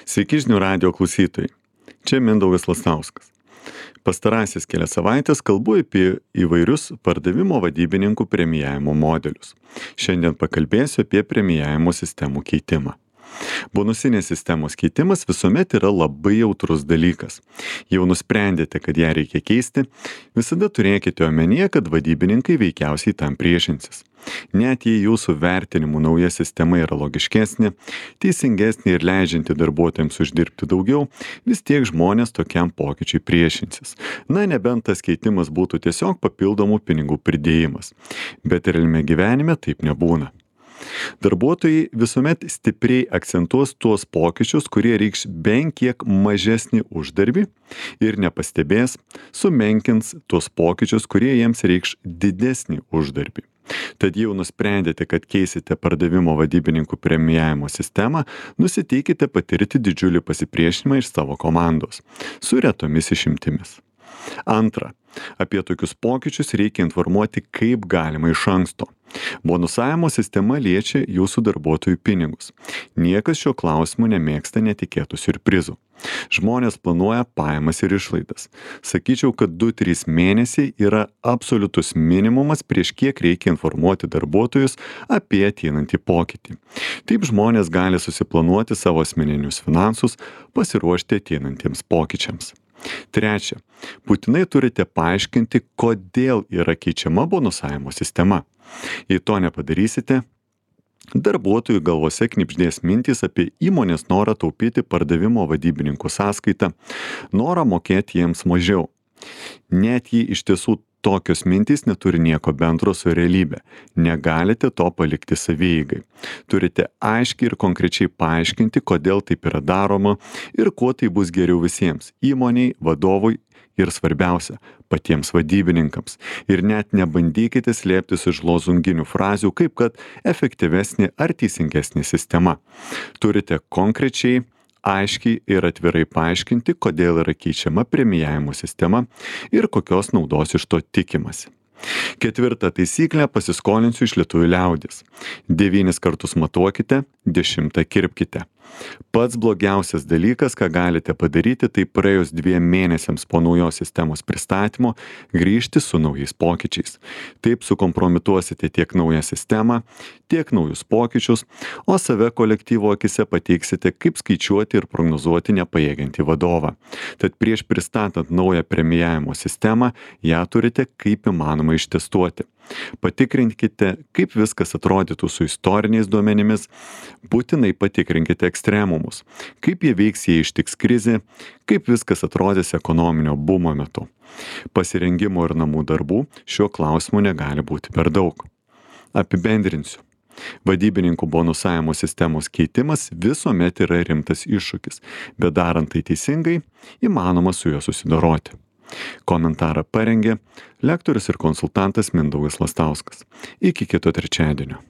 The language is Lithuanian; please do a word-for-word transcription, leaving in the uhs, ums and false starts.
Sveiki žinių radijo klausytojai. Čia Mindaugas Lastauskas. Pastarasis kelias savaitės kalbu apie įvairius pardavimo vadybininkų premijavimo modelius. Šiandien pakalbėsiu apie premijavimo sistemų keitimą. Bonusinės sistemos keitimas visuomet yra labai jautrus dalykas. Jau nusprendėte, kad ją reikia keisti, visada turėkite omenyje, kad vadybininkai veikiausiai tam priešinsis. Net jei jūsų vertinimų nauja sistema yra logiškesnė, teisingesnė ir leidžianti darbuotojams uždirbti daugiau, vis tiek žmonės tokiam pokyčiui priešinsis. Na, nebent tas keitimas būtų tiesiog papildomų pinigų pridėjimas. Bet realime gyvenime taip nebūna. Darbuotojai visuomet stipriai akcentuos tuos pokyčius, kurie reikš bent kiek mažesnį uždarbį ir nepastebės, sumenkins tuos pokyčius, kurie jiems reikš didesnį uždarbį. Tad jau nusprendėte, kad keisite pardavimo vadybininkų premijavimo sistemą, nusiteikite patirti didžiulį pasipriešinimą iš savo komandos, su retomis išimtimis. Antra, apie tokius pokyčius reikia informuoti kaip galima iš anksto. Bonusavimo sistema liečia jūsų darbuotojų pinigus. Niekas šio klausimu nemėgsta netikėtų siurprizų. Žmonės planuoja pajamas ir išlaidas. Sakyčiau, kad du trys mėnesiai yra absoliutus minimumas, prieš kiek reikia informuoti darbuotojus apie ateinantį pokytį. Taip žmonės gali susiplanuoti savo asmeninius finansus, pasiruošti ateinantiems pokyčiams. Trečia, būtinai turite paaiškinti, kodėl yra keičiama bonusavimo sistema. Jei to nepadarysite, darbuotojų galvose knibždės mintys apie įmonės norą taupyti pardavimo vadybininkų sąskaitą, norą mokėti jiems mažiau. Net jei iš tiesų tokios mintys neturi nieko bendro su realybė, negalite to palikti savieigai. Turite aiškiai ir konkrečiai paaiškinti, kodėl taip yra daroma ir kuo tai bus geriau visiems - įmoniai, vadovui ir svarbiausia - patiems vadybininkams. Ir net nebandykite slėptis iš lozunginių frazių, kaip kad efektyvesnė ar teisingesnė sistema. Turite konkrečiai, aiškiai ir atvirai paaiškinti, kodėl yra keičiama premijavimo sistema ir kokios naudos iš to tikimasi. Ketvirta taisyklė, pasiskolinsiu iš lietuvių liaudies. Devynis kartus matuokite, dešimtą kirpkite. Pats blogiausias dalykas, ką galite padaryti, tai praėjus dviem mėnesiams po naujos sistemos pristatymo grįžti su naujais pokyčiais. Taip sukompromituosite tiek naują sistemą, tiek naujus pokyčius, o save kolektyvo akise pateiksite kaip skaičiuoti ir prognozuoti nepajėgiantį vadovą. Tad prieš pristatant naują premijavimo sistemą, ją turite kaip įmanoma ištestuoti. Patikrinkite, kaip viskas atrodytų su istoriniais duomenimis, būtinai patikrinkite ekstremumus, kaip jie veiks, jei ištiks krizė, kaip viskas atrodys ekonominio bumo metu. Pasirengimo ir namų darbų šiuo klausimu negali būti per daug. Apibendrinsiu. Vadybininkų bonusavimo sistemos keitimas visuomet yra rimtas iššūkis, bet darant tai teisingai, įmanoma su juo susidoroti. Komentarą parengė lektorius ir konsultantas Mindaugas Lastauskas. Iki kito trečiadienio.